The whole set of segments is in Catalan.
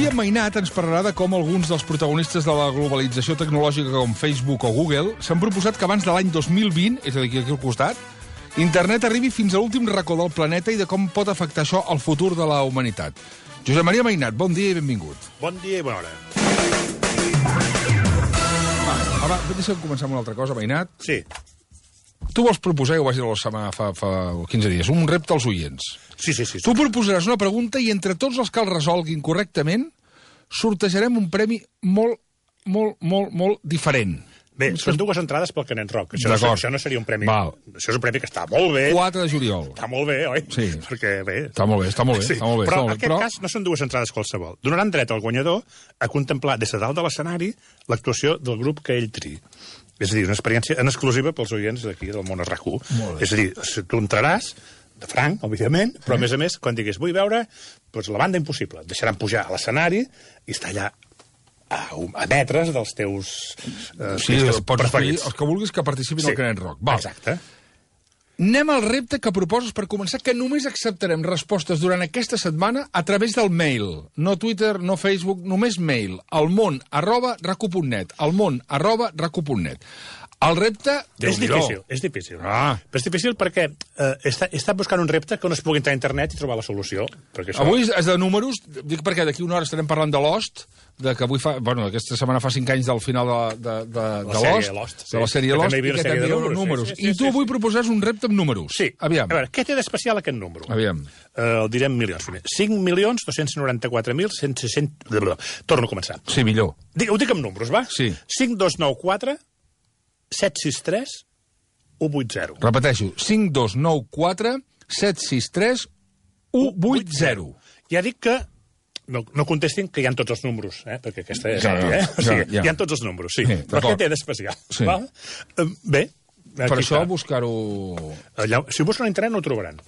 Avui en Mainat ens parlarà de com alguns dels protagonistes de la globalització tecnològica com Facebook o Google s'han proposat que abans de l'any 2020, és a dir, aquí al costat, internet arribi fins a l'últim racó del planeta i de com pot afectar això al futur de la humanitat. Josep Maria Mainat, bon dia i benvingut. Bon dia i bona hora. Va, deixa'm començar amb una altra cosa, Mainat. Sí. Tu vols proposar, ho vaig dir la setmana fa 15 dies, un repte als oients. Sí. Tu proposaràs una pregunta i entre tots els que el resolguin correctament sortejarem un premi molt diferent. Bé, són dues entrades pel Canet Rock. Això no seria un premi... Val. Això és un premi que està molt bé. 4 de juliol. Està molt bé, oi? Sí. Perquè, bé... Està molt bé. Sí. Però en aquest cas no són dues entrades qualsevol. Donaran dret al guanyador a contemplar des de dalt de l'escenari l'actuació del grup que ell triï. És a dir, una experiència en exclusiva pels oients d'aquí del món RAC1. És a dir, tu entraràs de franc, òbviament, però a més, quan diguis vull veure doncs, la banda impossible, et deixaran pujar a l'escenari i estar allà a metres dels teus pots escollir els que vulguis que participin al Canet Rock. Val. Exacte. Anem al repte que proposes per començar, que només acceptarem respostes durant aquesta setmana a través del mail. No Twitter, no Facebook, només mail. almon@racu.net. almon@racu.net. El repte... És difícil. Ah. Però és difícil perquè he estat buscant un repte que no es pugui entrar a internet i trobar la solució. Això... Avui és de números, dic perquè d'aquí una hora estarem parlant de Lost, que avui aquesta setmana fa 5 anys del final de Lost, de la sèrie Lost, i que també hi ha números. I tu avui proposaràs un repte amb números. Sí. Aviam. A veure, què té d'especial aquest número? Aviam. El direm milions. 5.294.160... Torno a començar. Sí, millor. Ho dic amb números, va? Sí. 5294 763 180. Repeteixo, 5294 763 180. Ja dic que no contestin que hi ha tots els números, perquè aquesta és... Hi ha tots els números, sí. Però què té d'especial? Sí. Bé. Per això buscar-ho... Si ho busquen a internet no ho trobaran.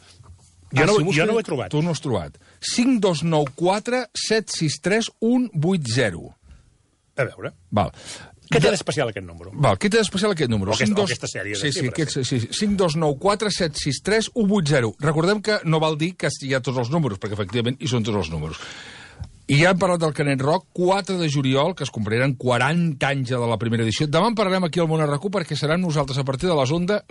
Jo no ho he trobat. Tu no ho has trobat. 5294 763 180. A veure. Val. Què té d'especial aquest número? Val, què té d'especial aquest número? O aquesta sèrie. Sí, 5294 763 180. Recordem que no val dir que hi ha tots els números, perquè efectivament hi són tots els números. I ja hem parlat del Canet Rock, 4 de juliol, que es compliran 40 anys de la primera edició. Demà en parlarem aquí al Món RAC1 perquè seran nosaltres a partir de les 11,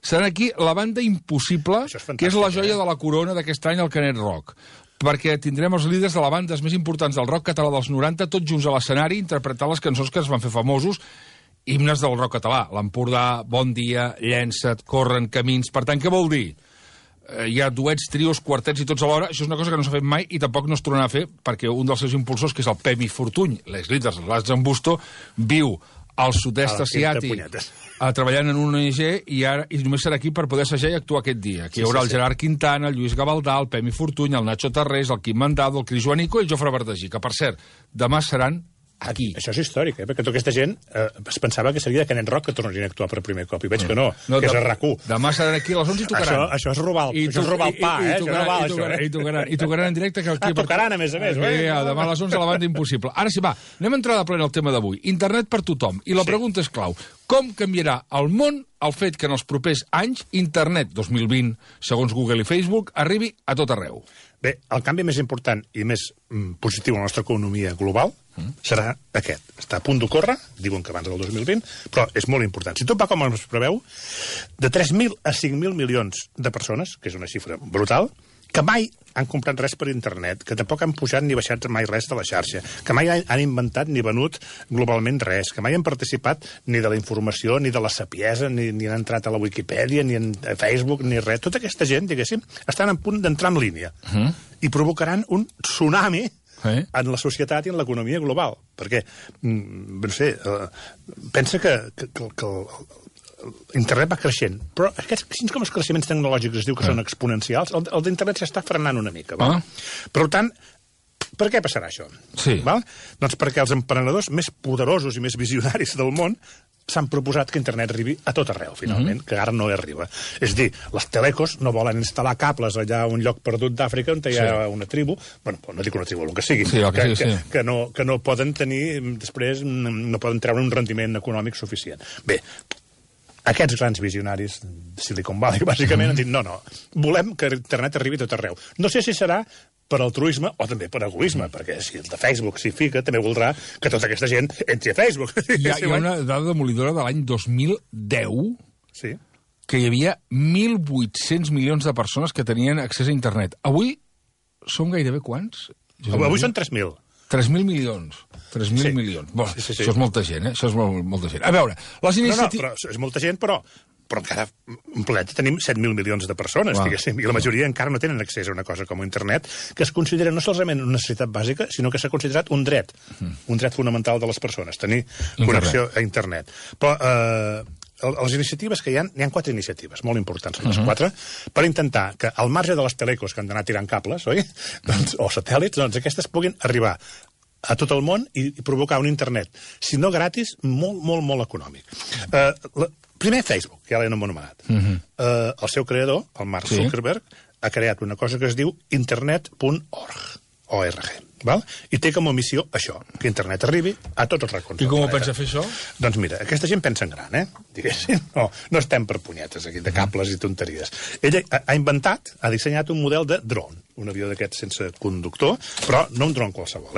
seran aquí la banda Impossible, que és la joia de la corona d'aquest any al Canet Rock. Perquè tindrem els líders de la bandes més importants del rock català dels 90, tots junts a l'escenari, interpretant les cançons que es van fer famosos, himnes del rock català. L'Empordà, Bon dia, Llença't, Corren, Camins... Per tant, què vol dir? Hi ha duets, trios, quartets i tots alhora. Això és una cosa que no s'ha fet mai i tampoc no es tornarà a fer perquè un dels seus impulsors, que és el Pemi Fortuny, l'ex-líder de l'As Zambusto, viu al sud-est asiàtic treballant en una ONG i només serà aquí per poder assajar i actuar aquest dia. Aquí hi haurà el Gerard Quintana, el Lluís Gavaldà, el Pemi Fortuny, el Nacho Tarrés, el Quim Mandado, el Cris Joanico i el Jofre Verdagí, que, per cert, demà seran aquí. Això és històric, perquè tota aquesta gent es pensava que seria de Canet Rock que tornarien a actuar per primer cop, i veig que no, que és a RAC1. Demà seran aquí a les 11 i tocaran. Això és robar el pa, I tocaran en directe. Tocaran, a més. Demà a les 11 a la banda Impossible. Ara sí, va, anem a entrar de plena al tema d'avui. Internet per tothom. I la pregunta és clau. Com canviarà el món el fet que en els propers anys Internet 2020, segons Google i Facebook, arribi a tot arreu? Bé, el canvi més important i més positiu a la nostra economia global serà aquest. Està a punt d'ocórrer, diuen que abans del 2020, però és molt important. Si tot va com es preveu, de 3.000 a 5.000 milions de persones, que és una xifra brutal, que mai han comprat res per internet, que tampoc han pujat ni baixat mai res de la xarxa, que mai han inventat ni venut globalment res, que mai han participat ni de la informació, ni de la sapiesa, ni han entrat a la Wikipedia, ni a Facebook, ni res. Tota aquesta gent, diguéssim, estan a punt d'entrar en línia i provocaran un tsunami en la societat i en l'economia global. Perquè, no sé, pensa que internet va creixent, però així com els creixements tecnològics es diu que són exponencials, el d'internet s'està frenant una mica. Per tant, per què passarà això? Doncs perquè els emprenedors més poderosos i més visionaris del món s'han proposat que internet arribi a tot arreu, finalment, que ara no hi arriba. És a dir, les telecos no volen instal·lar cables allà a un lloc perdut d'Àfrica on hi ha una tribu, bueno, no dic una tribu, el que sigui, que no poden tenir, després no poden treure un rendiment econòmic suficient. Bé, aquests grans visionaris de Silicon Valley, bàsicament, han dit no, volem que internet arribi a tot arreu. No sé si serà per altruisme o també per egoisme, perquè si el de Facebook s'hi fica, també voldrà que tota aquesta gent entri a Facebook. Hi ha una dada demolidora de l'any 2010 Sí. que hi havia 1.800 milions de persones que tenien accés a internet. Avui som gairebé quants? Avui són 3.000. 3.000 milions. 3.000 milions. Bueno, sí. Això és molta gent, eh? Això és molta gent. A veure, les iniciatives... No, però és molta gent, però encara en planeta tenim 7.000 milions de persones, diguéssim, i la majoria encara no tenen accés a una cosa com internet, que es considera no solament una necessitat bàsica, sinó que s'ha considerat un dret fonamental de les persones, tenir connexió a internet. Però les iniciatives que hi ha 4 iniciatives molt importants, les 4, per intentar que al marge de les telecos que han d'anar tirant cables, oi? O satèl·lits, doncs aquestes puguin arribar a tot el món i provocar un internet, si no gratis, molt econòmic. Primer Facebook, ja l'hem anomenat. El seu creador, el Mark Zuckerberg, ha creat una cosa que es diu internet.org. Val? I té com a missió això, que internet arribi a tots els racons. I com ho pensa fer això? Doncs mira, aquesta gent pensa en gran, diguéssim. No estem per punyetes aquí, de cables i tonteries. Ell ha inventat, ha dissenyat un model de drone, un avió d'aquests sense conductor, però no un dron qualsevol,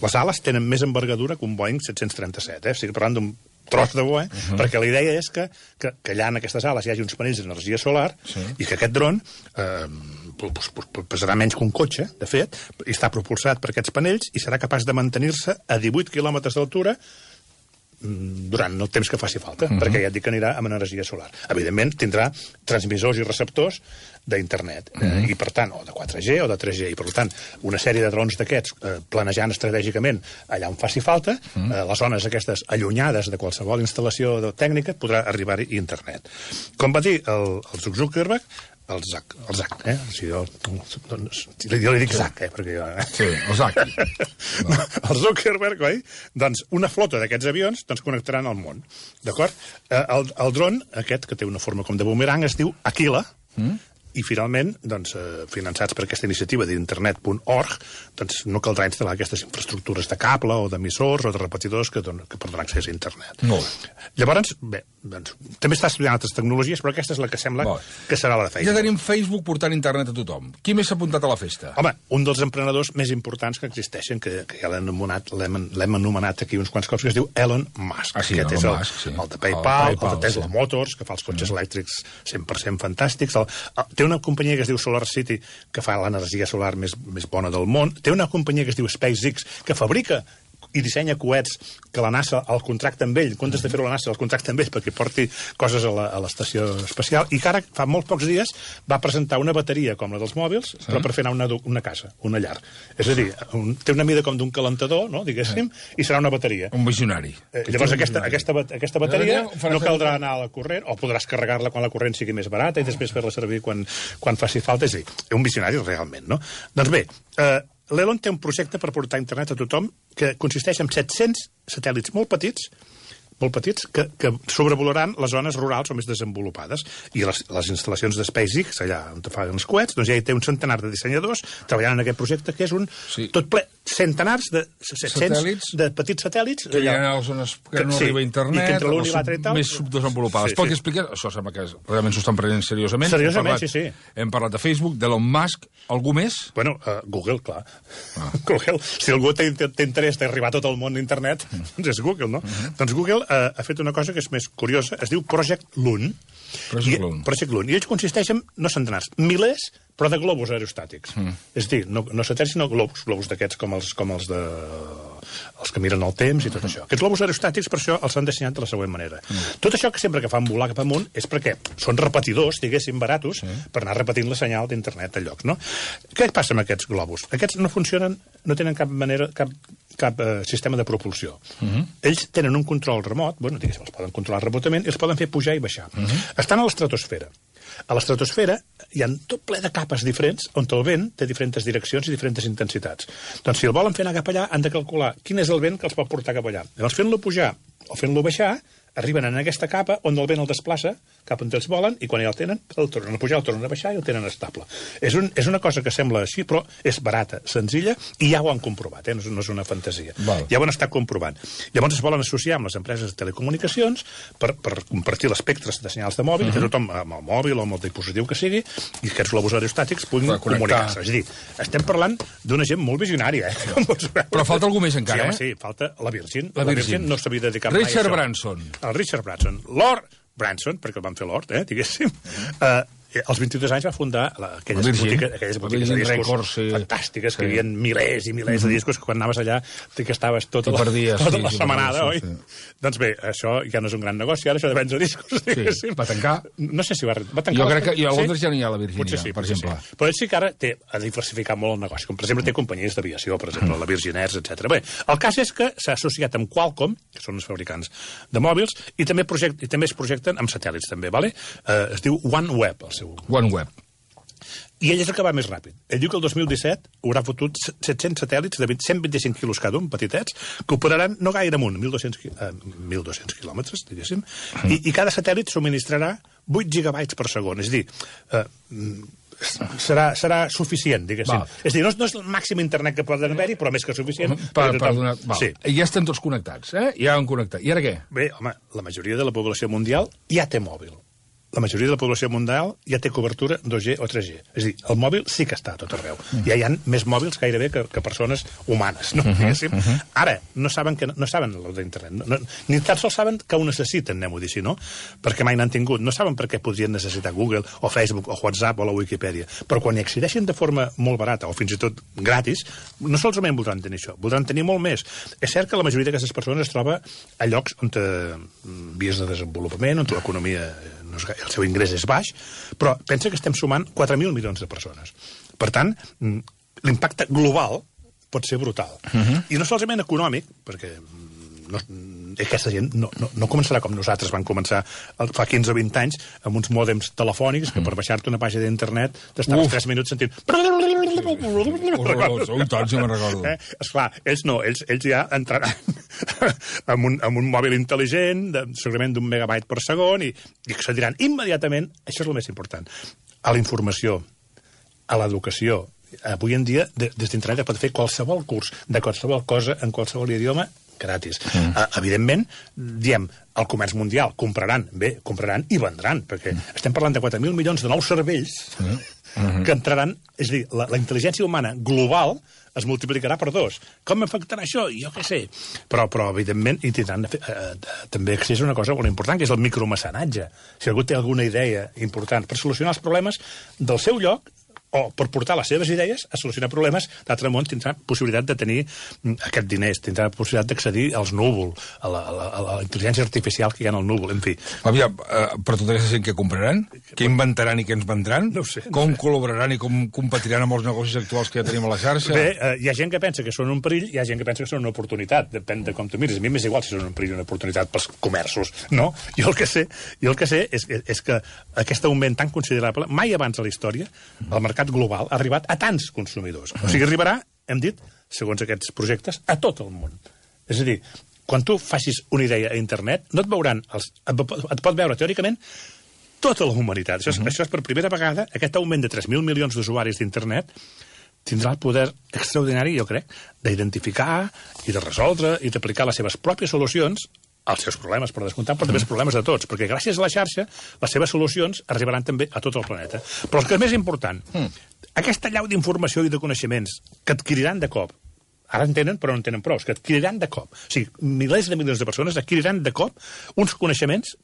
Les ales tenen més envergadura que un Boeing 737, O sigui, parlant d'un tros de bo, perquè la idea és que allà en aquestes ales hi hagi uns panells d'energia solar i que aquest dron pesarà menys que un cotxe, de fet, i està propulsat per aquests panells i serà capaç de mantenir-se a 18 quilòmetres d'altura durant el temps que faci falta, perquè ja et dic que anirà amb energia solar. Evidentment, tindrà transmissors i receptors d'internet, i per tant, o de 4G o de 3G, i per tant, una sèrie de drons d'aquests planejant estratègicament allà on faci falta, les zones aquestes allunyades de qualsevol instal·lació tècnica, podrà arribar-hi internet. Com va dir el Zuckerberg, el Zac, jo li dic Zac, perquè jo... Sí, el Zac. El Zuckerberg, oi? Doncs una flota d'aquests avions connectaran al món, d'acord? El dron, aquest, que té una forma com de bumerang, es diu Aquila, i finalment, finançats per aquesta iniciativa d'internet.org, no caldrà instal·lar aquestes infraestructures de cable o d'emissors o de repetidors que per donar accés a internet. Llavors, bé, també està estudiant altres tecnologies, però aquesta és la que sembla que serà la de Facebook. Ja tenim Facebook portant internet a tothom. Qui més s'ha apuntat a la festa? Home, un dels emprenedors més importants que existeixen, que ja l'hem anomenat aquí uns quants cops, que es diu Elon Musk. Aquest és el de PayPal, el de Tesla Motors, que fa els cotxes elèctrics 100% fantàstics. Té una companyia que es diu SolarCity, que fa l'energia solar més bona del món. Té una companyia que es diu SpaceX, que fabrica i dissenya coets que la NASA el contracta amb ell, en comptes de fer-ho la NASA el contracta amb ell perquè porti coses a l'estació espacial, i que ara, fa molt pocs dies, va presentar una bateria com la dels mòbils, però per fer anar una casa, una llar. És a dir, té una mida com d'un calentador, diguéssim, i serà una bateria. Un visionari. Llavors aquesta bateria no caldrà anar a la corrent, o podràs carregar-la quan la corrent sigui més barata i després fer-la servir quan faci falta. És a dir, un visionari realment, no? Doncs bé, l'Elon té un projecte per portar internet a tothom que consisteix en 700 satèl·lits molt petits que sobrevolaran les zones rurals o més desenvolupades. I les instal·lacions de SpaceX, allà on fan els coets, doncs ja hi té un centenar de dissenyadors treballant en aquest projecte, que és un tot ple, centenars de petits satèl·lits que hi ha a les zones que no arriba a internet, més subdesenvolupades. Pot explicar? Això sembla que realment s'ho estan prenent seriosament. Seriosament, sí. Hem parlat de Facebook, d'Elon Musk. Algú més? Bueno, Google, clar. Google. Si algú té interès d'arribar a tot el món d'internet, doncs és Google, no? Doncs Google ha fet una cosa que és més curiosa, es diu Project Loon. Project Loon. I ells consisteix en, no centenars, milers, però de globus aerostàtics. És a dir, no satèl·lits, sinó globus d'aquests com els que miren el temps i tot això. Aquests globus aerostàtics, per això, els han dissenyat de la següent manera. Tot això que sempre que fan volar cap amunt és perquè són repetidors, diguéssim, baratos, per anar repetint la senyal d'internet a llocs, no? Què passa amb aquests globus? Aquests no funcionen, no tenen cap sistema de propulsió. Ells tenen un control remot, diguéssim, els poden controlar remotament i els poden fer pujar i baixar. Estan a l'estratosfera. A l'estratosfera hi ha tot ple de capes diferents on el vent té diferents direccions i diferents intensitats. Doncs si el volen fer anar cap allà, han de calcular quin és el vent que els pot portar cap allà. Llavors, fent-lo pujar o fent-lo baixar, arriben en aquesta capa on el vent el desplaça cap on ells volen, i quan ja el tenen, el tornen a pujar, el tornen a baixar i el tenen estable. És una cosa que sembla així, però és barata, senzilla, i ja ho han comprovat, no és una fantasia. Ja ho han estat comprovant. Llavors es volen associar amb les empreses de telecomunicacions per compartir l'espectre de senyals de mòbil, que tothom amb el mòbil o amb el dispositiu que sigui, i aquests globus aerostàtics puguin comunicar-se. És a dir, estem parlant d'una gent molt visionària, Però falta algú més encara, Sí, falta la Virgin. La Virgin no s'havia dedicat mai a això. Richard Branson. El Richard Branson. Lord Branson, perquè el van fer Lord, diguéssim, als 22 anys va fundar aquelles botigues de discos fantàstiques, que hi havia milers i milers de discos, que quan anaves allà que estaves tota la setmanada, oi? Doncs bé, això ja no és un gran negoci, ara això de vendre discos, diguéssim. Va tancar? No sé si va tancar. Jo crec que a Londres ja no hi ha la Virginia, per exemple. Però ell sí que ara ha diversificat molt el negoci, com per exemple té companyies d'aviació, per exemple, la Virgin Air, etc. Bé, el cas és que s'ha associat amb Qualcomm, que són els fabricants de mòbils, i també es projecten amb satèl·lits, també, vale? Es diu OneWeb, el seu OneWeb. I ell és el que va més ràpid. Ell diu que el 2017 haurà fotut 700 satèl·lits de 125 quilos cada un, petitets, que operaran no gaire amunt, 1.200 quilòmetres, diguéssim, i cada satèl·lit subministrarà 8 gigabytes per segon. És a dir, serà suficient, diguéssim. És a dir, no és el màxim internet que poden haver-hi, però més que suficient. Ja estan tots connectats, ja han connectat. I ara què? Bé, home, la majoria de la població mundial ja té mòbil. La majoria de la població mundial ja té cobertura 2G o 3G. És a dir, el mòbil sí que està a tot arreu. Ja hi ha més mòbils gairebé que persones humanes, no? Ara, no saben el d'internet. Ni tan sols saben que ho necessiten, anem-ho a dir així, no? Perquè mai n'han tingut. No saben per què podrien necessitar Google o Facebook o WhatsApp o la Wikipedia. Però quan hi accedeixen de forma molt barata o fins i tot gratis, no solament voldran tenir això, voldran tenir molt més. És cert que la majoria d'aquestes persones es troba a llocs on vies de desenvolupament, on l'economia el seu ingrés és baix, però pensa que estem sumant 4.000 milions de persones. Per tant, l'impacte global pot ser brutal. I no solament econòmic, perquè aquesta gent no començarà com nosaltres van començar fa 15 o 20 anys amb uns mòdems telefònics que per baixar-te una pàgina d'internet t'estaves 3 minuts sentint... Tant, si me'n recordo. Esclar, ells no, ells ja entraran amb un mòbil intel·ligent, segurament d'1 megabyte per segon, i accediran immediatament, això és el més important, a la informació, a l'educació. Avui en dia, des d'internet pot fer qualsevol curs de qualsevol cosa en qualsevol idioma gratis. Evidentment, diem, el comerç mundial compraran i vendran, perquè estem parlant de 4.000 milions de nous cervells que entraran, és a dir, la intel·ligència humana global es multiplicarà per 2. Com afectarà això? Jo què sé. Però evidentment, hi tindran també accés a una cosa molt important, que és el micromecenatge. Si algú té alguna idea important per solucionar els problemes del seu lloc, o per portar les seves idees a solucionar problemes, l'altre món tindrà possibilitat de tenir aquests diners, tindrà possibilitat d'accedir als núvols, a la intel·ligència artificial que hi ha en el núvol, en fi. Aviam, per tota aquesta gent que compraran, què inventaran i què ens vendran, com col·laboraran i com competiran amb els negocis actuals que ja tenim a la xarxa? Bé, hi ha gent que pensa que són un perill, hi ha gent que pensa que són una oportunitat, depèn de com tu mires. A mi m'és igual si són un perill o una oportunitat pels comerços, no? Jo el que sé és que aquest augment tan considerable, mai abans a la història, el mercat global ha arribat a tants consumidors. O sigui, arribarà, hem dit, segons aquests projectes, a tot el món. És a dir, quan tu facis una idea a internet, no et veuran, et pot veure teòricament tota la humanitat. Això és per primera vegada, aquest augment de 3.000 milions d'usuaris d'internet tindrà el poder extraordinari, jo crec, d'identificar i de resoldre i d'aplicar les seves pròpies solucions als seus problemes, per descomptar, però també els problemes de tots, perquè gràcies a la xarxa les seves solucions arribaran també a tot el planeta. Però el que és més important, aquesta llau d'informació i de coneixements que adquiriran de cop, ara en tenen però no en tenen prou, que adquiriran de cop, o sigui, milers de milions de persones adquiriran de cop uns coneixements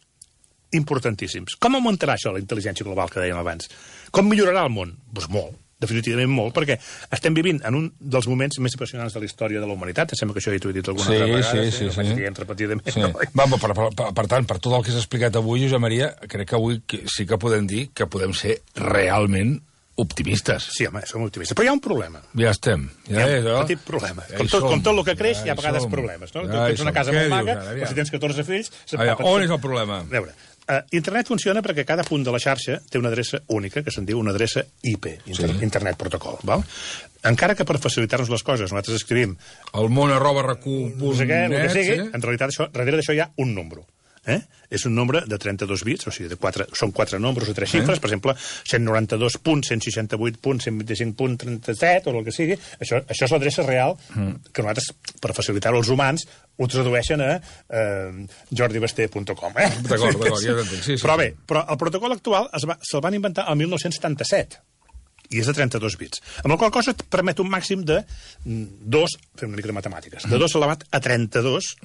importantíssims. Com augmentarà això, la intel·ligència global que dèiem abans? Com millorarà el món? Doncs molt. Definitivament molt, perquè estem vivint en un dels moments més apassionants de la història de la humanitat. Em sembla que això ja t'ho he dit alguna altra vegada. Sí. No vaig dient repetidament. Per tant, per tot el que s'ha explicat avui, Josep Maria, crec que avui sí que podem dir que podem ser realment optimistes. Sí, home, som optimistes. Però hi ha un problema. Ja estem. Hi ha un petit problema. Com tot el que creix, hi ha a vegades problemes. Tu tens una casa molt maca, però si tens 14 fills... On és el problema? A veure, internet funciona perquè cada punt de la xarxa té una adreça única, que se'n diu una adreça IP, Internet Protocol. Val? Encara que per facilitar-nos les coses nosaltres escrivim el món @recu.net, en realitat darrere d'això hi ha un número. és un nombre de 32 bits, o sigui, són 4 nombres o 3 xifres, per exemple, 192.168.125.37, o el que sigui. Això és l'adreça real que nosaltres, per facilitar-ho als humans, ho tradueixen a jordibasté.com. D'acord, ja t'entenc. Però bé, el protocol actual se'l van inventar el 1977, i és de 32 bits. Amb la qual cosa et permet un màxim de 2, fem una mica de matemàtiques, de 2 elevat a 32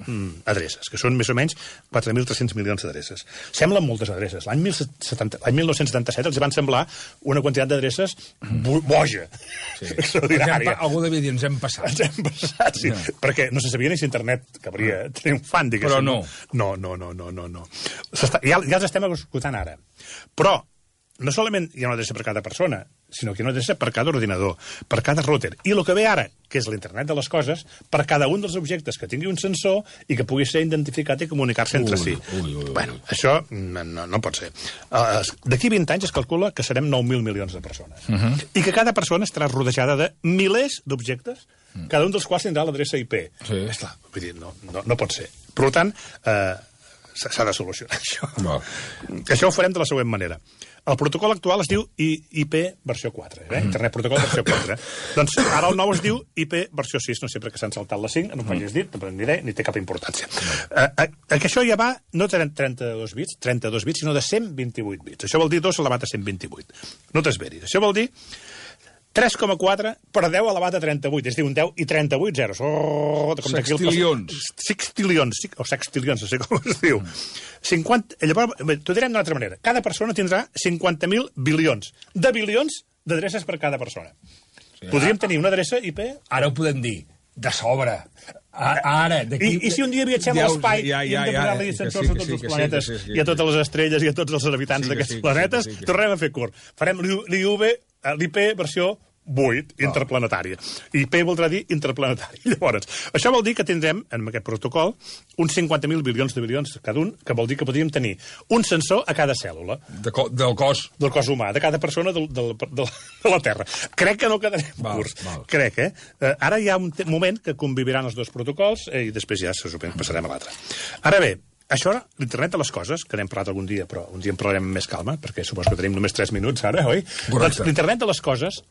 adreces, que són més o menys 4.300 milions d'adreces. Semblen moltes adreces. L'any 1977 els van semblar una quantitat d'adreces boja, extraordinària. Algú devia dir, ens hem passat. Ens hem passat, sí, perquè no se sabia ni si internet cabria triomfant, diguéssim. Però no. No. Ja els estem escoltant ara. Però no solament hi ha una adreça per cada persona, sinó que hi ha una adreça per cada ordinador, per cada router. I el que ve ara, que és l'internet de les coses, per cada un dels objectes que tingui un sensor i que pugui ser identificat i comunicar-se entre si. Bueno, això no pot ser. D'aquí 20 anys es calcula que serem 9.000 milions de persones. I que cada persona estarà rodejada de milers d'objectes, cada un dels quals tindrà l'adreça IP. Esclar, vull dir, no pot ser. Per tant, s'ha de solucionar això. Això ho farem de la següent manera. El protocol actual es diu IP versió 4, Internet Protocol versió 4. Doncs ara el nou es diu IP versió 6, no sé per què s'han saltat la 5, no m'ho hagis dit, no diré, ni té cap importància. Que això ja va, no 32 bits, sinó de 128 bits. Això vol dir 2 elevat a 128. No t'esveris. Això vol dir 3,4 per 10 elevat a 38, és a dir, un 10 i 38 zeros. Sextilions. Sextilions, o sextilions, no sé com es diu. 50, llavors, t'ho direm d'una altra manera. Cada persona tindrà 50.000 bilions. De bilions d'adreces per cada persona. Podríem tenir una adreça IP... Ara ho podem dir. De sobre. Ara, I si un dia viatgem a l'espai i hem de posar-li sensors a tots els planetes i a totes les estrelles i a tots els habitants d'aquests planetes, tornem a fer curt. Farem l'IP versió 8, interplanetària. IP voldrà dir interplanetari. Llavors, això vol dir que tindrem, en aquest protocol, uns 50.000 bilions de bilions cada un, que vol dir que podríem tenir un sensor a cada cèl·lula. Del cos. Del cos humà, de cada persona de la Terra. Crec que no quedarem curts. Crec, Ara hi ha un moment que conviviran els dos protocols i després ja se supone passarem a l'altre. Ara bé, això, l'internet de les coses, que n'hem parlat algun dia, però un dia en parlarem amb més calma, perquè suposo que tenim només 3 minuts ara, oi? Doncs l'internet de les coses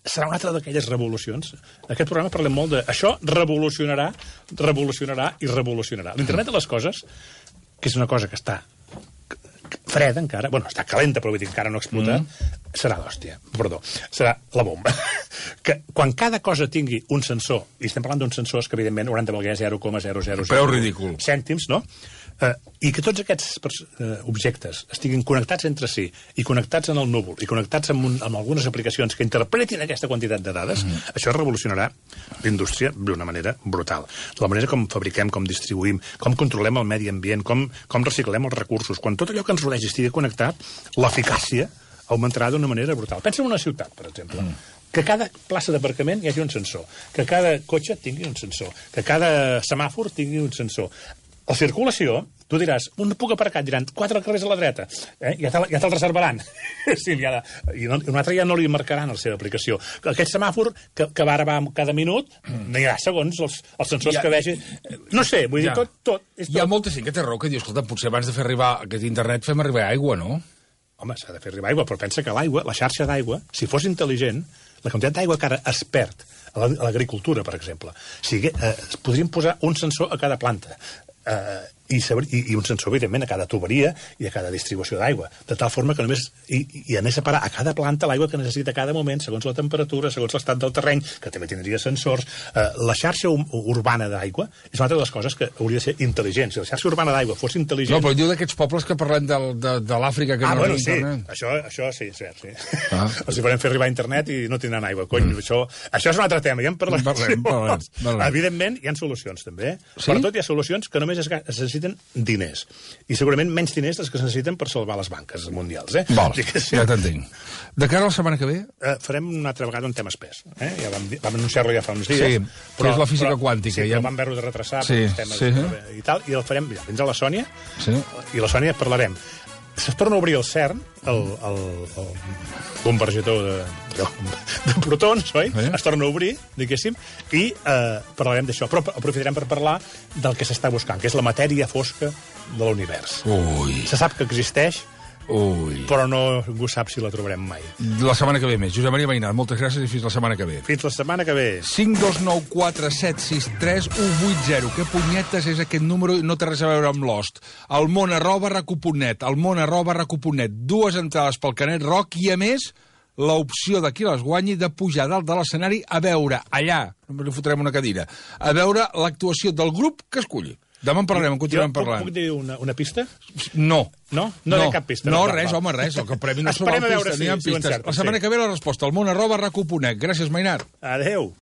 serà una altra d'aquelles revolucions. En aquest programa parlem molt de... Això revolucionarà. L'internet de les coses, que és una cosa que està freda encara, bueno, està calenta, però vull dir que encara no explota, serà l'hòstia. Perdó, serà la bomba. Que quan cada cosa tingui un sensor, i estem parlant d'uns sensors que, evidentment, hauran de valer 0,000... Preu ridícul. Cèntims, no? I que tots aquests objectes estiguin connectats entre si i connectats en el núvol i connectats amb algunes aplicacions que interpretin aquesta quantitat de dades, això revolucionarà l'indústria d'una manera brutal. La manera com fabriquem, com distribuïm, com controlem el medi ambient, com reciclem els recursos. Quan tot allò que ens rodeix estigui connectat, l'eficàcia augmentarà d'una manera brutal. Pensa en una ciutat, per exemple. Que cada plaça d'aparcament hi hagi un sensor, que cada cotxe tingui un sensor, que cada semàfor tingui un sensor. La circulació, tu diràs, un puc aparcar, diran, 4 carrers a la dreta, ja te'l reservaran. Sí, i un altre ja no li marcaran la seva aplicació. Aquest semàfor, que va ara cada minut, no hi ha segons els sensors que vegi. No sé, vull dir, tot. Hi ha molta gent que té raó que diu, escolta, potser abans de fer arribar aquest internet fem arribar aigua, no? Home, s'ha de fer arribar aigua, però pensa que l'aigua, la xarxa d'aigua, si fos intel·ligent, la quantitat d'aigua que ara es perd a l'agricultura, per exemple, podríem posar un sensor a cada planta, i un sensor, evidentment, a cada tuberia i a cada distribució d'aigua, de tal forma que només i anés a parar a cada planta l'aigua que necessita a cada moment, segons la temperatura, segons l'estat del terreny, que també tindria sensors. La xarxa urbana d'aigua és una altra de les coses que hauria de ser intel·ligent. Si la xarxa urbana d'aigua fos intel·ligent... No, però diu d'aquests pobles que parlem de l'Àfrica que no bueno, sí, això sí, és cert, sí. Els hi farem fer arribar a internet i no tindran aigua, cony. Això és un altre tema, ja en parlem. Evidentment, hi ha solucions, també. Per tot hi ha solucions que només es necessiten diners. I segurament menys diners dels que es necessiten per salvar les banques mundials. Val, ja t'entenc. De cara a la setmana que ve? Farem una altra vegada un tema espès. Ja vam anunciar-lo ja fa uns dies. Sí, però és la física quàntica. Sí, però vam haver-ho de retrasar per els temes i tal, i el farem, vindrà la Sònia, i la Sònia parlarem es torna a obrir el CERN, el convergidor de protons, oi? Es torna a obrir, diguéssim, i parlarem d'això. Però aprofitarem per parlar del que s'està buscant, que és la matèria fosca de l'univers. Se sap que existeix, però ningú sap si la trobarem mai. La setmana que ve més. Josep Maria Mainat, moltes gràcies i fins la setmana que ve. Fins la setmana que ve. 52947638180. Què punyetes és aquest número i no té res a veure amb Lost? elmón@recu.net, elmón@recu.net. 2 entrades pel Canet Rock i, a més, l'opció de qui les guanyi de pujar dalt de l'escenari a veure allà, només li fotrem una cadira, a veure l'actuació del grup que esculli. Demà en parlarem, en continuem parlant. Puc dir una pista? No. No? No hi ha cap pista. No, res, home, res. El premi no és sobre pistes, ni hi ha pistes. La setmana que ve la resposta, elmón@recu.net. Gràcies, Mainat. Adéu.